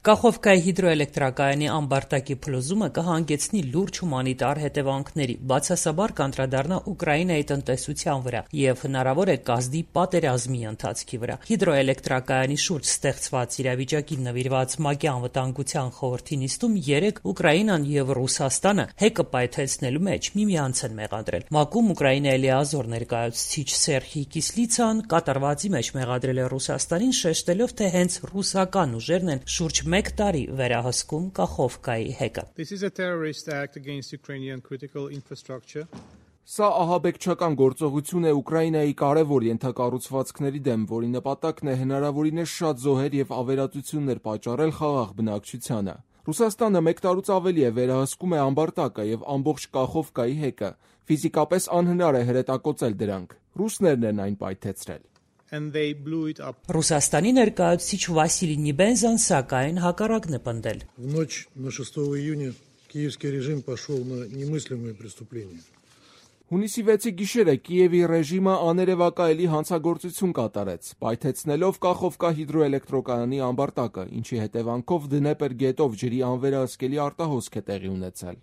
Կախովկայի հիդրոէլեկտրակայանի ամբարտակի փլուզումը կհանգեցնի լուրջ հումանիտար հետևանքների, բացասաբար կանդրադառնա Ուկրաինայի տնտեսության վրա և հնարավոր է կազդի պատերազմի ընթացքի վրա։ Հիդրոէլեկտրակայանի շուրջ ստեղծված իրավիճակին նվիրված ՄԱԿ-ի անվտանգության խորհրդի նիստում երեկ Ուկրաինան և Ռուսաստանը հեկը պայթեցնելու մեջ միմյանց են մեղադրել։ ՄԱԿ-ում Ուկրաինայի լիազոր ներկայացուցիչ Սերխի Կիսլիցան կատարվածի մեջ մեղադրել է Ռուսաստանին, շեշտելով, թե հենց ռուսական ուժերն են շուրջ մեկ տարի վերահսկում Կախովկայի հեկը։ Սա ահաբեկչական գործողություն է Ուկրաինայի կարևոր ենթակառուցվածքների դեմ, որի նպատակն է հնարավորինս շատ զոհեր և ավերածություններ պատճառել խաղաղ բնակչությանը։ Ռուսաստանը մեկ տարուց ավելի է վերահսկում է ամբարտակը և ամբողջ Կախովկայի հեկը։ Ֆիզիկապես անհնար է հրետակոծել դրանք։ Ռուսներն են այն պայթեցրել։ Ռուսաստանի ներկայացուցիչ Վասիլի Նիբենզան սակայն հակառակն է պնդել։ Հունիսի 6-ի գիշերը Կիևի ռեժիմը աներևակայելի հանցագործություն կատարեց, պայթեցնելով Կախովկա հիդրոէլեկտրակայանի ամբարտակը, ինչի հետևանքով Դնեպր գետով ջրի անվերահսկելի արտահոսք է տեղի ունեցել։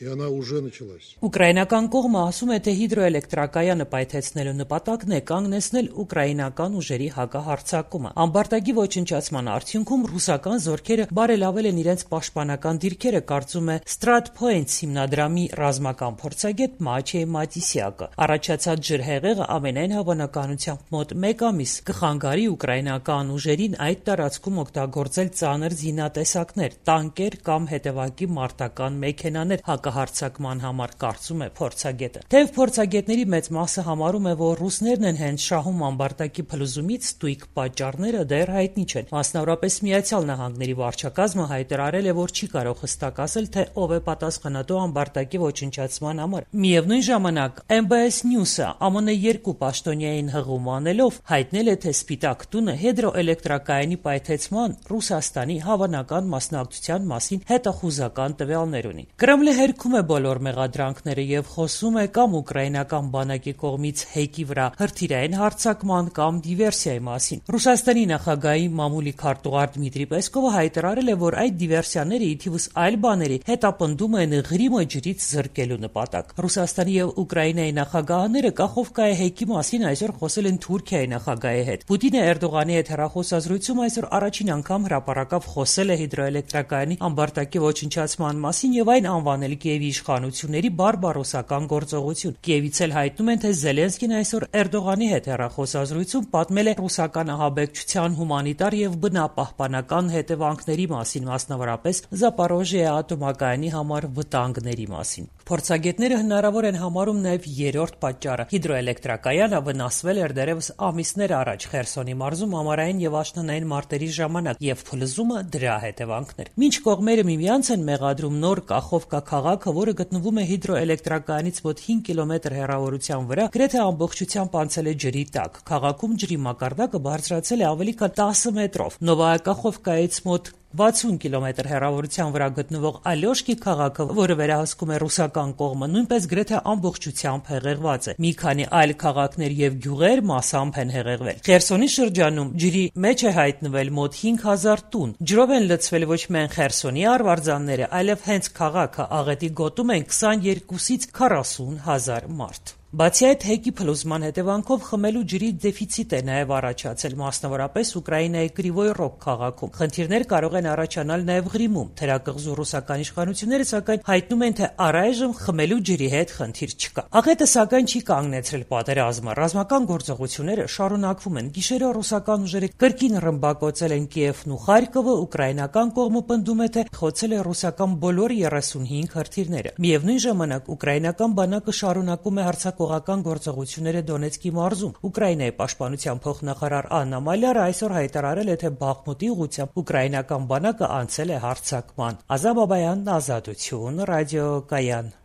Ուկրաինական կողմը ասում է, թե հիդրոէլեկտրակայանը պայթեցնելու նպատակն է կանգնեցնել ուկրաինական ուժերի հակահարձակումը։ Ամբարտակի ոչնչացման արդյունքում ռուսական զորքերը բարելավել են իրենց պաշտպանական դիրքերը, կարծում է Stratpoints հիմնադրամի ռազմական փորձագետ Մաչեյ Մատիսյակը։ Առաջացած ջրհեղեղը ամենայն հավանականությամբ մոտ մեկ ամիս կխանգարի ուկրաինական ուժերին այդ տարածքում օգտագործել ծանր զինատեսակներ, տանկեր կամ հետևակի մարտական մեքենաներ հակահարձակման համար, կարծում է փորձագետը։ Թեև փորձագետների մեծ մասը համարում է, որ ռուսներն են հենց շահում ամբարտակի փլուզումից, ստույգ պատճառները դեռ հայտնի չեն։ Մասնավորապես Միացյալ Նահանգների վարչակազմը հայտարարել է, որ չի կարող հստակ ասել, թե ով է պատասխանատու ամբարտակի ոչնչացման համար։ Միևնույն ժամանակ MBS News-ը ԱՄՆ երկու պաշտոնյային հղում անելով հայտնել է, թե Սպիտակ տունը հիդրոէլեկտրակայանի պայթեցման Ռուսաստանի հավանական մասնակցության մասին հետախուզական տվյալներ ունի։ Կրեմլը հերքում է բոլոր մեղադրանքները և խոսում է կամ ուկրաինական բանակի կողմից հեկի վրա հրթիռային հարձակման կամ դիվերսիայի մասին։ Ռուսաստանի նախագահի մամուլի քարտուղար Դմիտրի Պեսկովը հայտարարել է, որ այդ դիվերսիաները ի թիվս այլ բաների հետապնդում են Ղրիմը ջրից զրկելու նպատակ։ Ռուսաստանի և Ուկրաինայի նախագահները Կախովկայի հեկի մասին այսօր խոսել են Թուրքիայի նախագահի հետ։ Պուտինը Էրդողանի հետ հեռախոսազրույցում այսօր առաջին անգամ հրապարակավ խոսել է հիդրոէլեկտրակայանի ամբարտակի ոչնչացման մասին և այն անվանել Կիևի իշխանությունների բարբարոսական գործողություն։ Կիևից էլ հայտնում են, թե Զելենսկին այսօր Էրդողանի հետ հեռախոսազրույցում պատմել է ռուսական ահաբեկչության հումանիտար և բնապահպանական հետևանքների մասին, մասնավորապես Զապորոժիա ատոմակայանի համար վտանգների մասին։ Փորձագետները հնարավոր են համարում նաև երրորդ պատճառը։ Հիդրոէլեկտրակայանը վնասվել էր դեռևս ամիսներ առաջ Խերսոնի մարզում ամառային և աշնանային մարտերի ժամանակ, և փլուզումը դրա հետևանքն էր։ Մինչ կողմերը միմյանց են մեղադրում նոր Կախովկա քաղաքը, որը գտնվում է հիդրոէլեկտրակայանից մոտ 5 կիլոմետր հեռավորության վրա, գրեթե ամբողջությամբ անցել է ջրի տակ։ Քաղաքում ջրի մակարդակը բարձրացել է ավելի քան 10 մետրով։ Նովայա Կախովկայից մոտ 60 կիլոմետր հեռավորության վրա գտնվող Ալյոշկի քաղաքը, որը վերահսկում է ռուսական կողմը, նույնպես գրեթե ամբողջությամբ հեղեղված է։ Մի քանի այլ քաղաքներ և գյուղեր մասամբ են հեղեղվել։ Խերսոնի շրջանում ջրի մեջ է հայտնվել մոտ 5000 տուն։ Ջրով են լցվել ոչ միայն Խերսոնի արվարձանները, այլև հենց քաղաքը աղետի գոտում են 22-ից 40 հազար մարդ։ Բացի այդ, հեկի փլուզման հետևանքով խմելու ջրի դեֆիցիտ է նաև առաջացել, մասնավորապես Ուկրաինայի Կրիվոյ Ռոգ քաղաքում։ Խնդիրներ կարող են առաջանալ նաև Ղրիմում։ Թերակղզու ռուսական իշխանությունները սակայն հայտնում են, թե առայժմ խմելու ջրի հետ խնդիր չկա։ Աղետը սակայն չի կանգնեցրել պատերազմը։ Ռազմական գործողությունները շարունակվում են։ Գիշերը ռուսական ուժերը կրկին ռմբակոծել են Կիևն ու Խարկովը, ուկրաինական կողմը պնդում է, թե խոցել է ռուսական բոլոր 35 հրթիռները։ Միևնույն ժամանակ ուկրաինական բանակը շարունակում է հարձակողական գործողությունները Դոնեցկի մարզում։ Ուկրաինայի պաշտպանության փոխնախարար Աննա Մալյարը այսօր հայտարարել է, թե Բախմուտի ուղղությամբ ուկրաինական բանակը անցել է հարձակման։ Ազատ Բաբայան, Ազատություն, ռադիոկայան։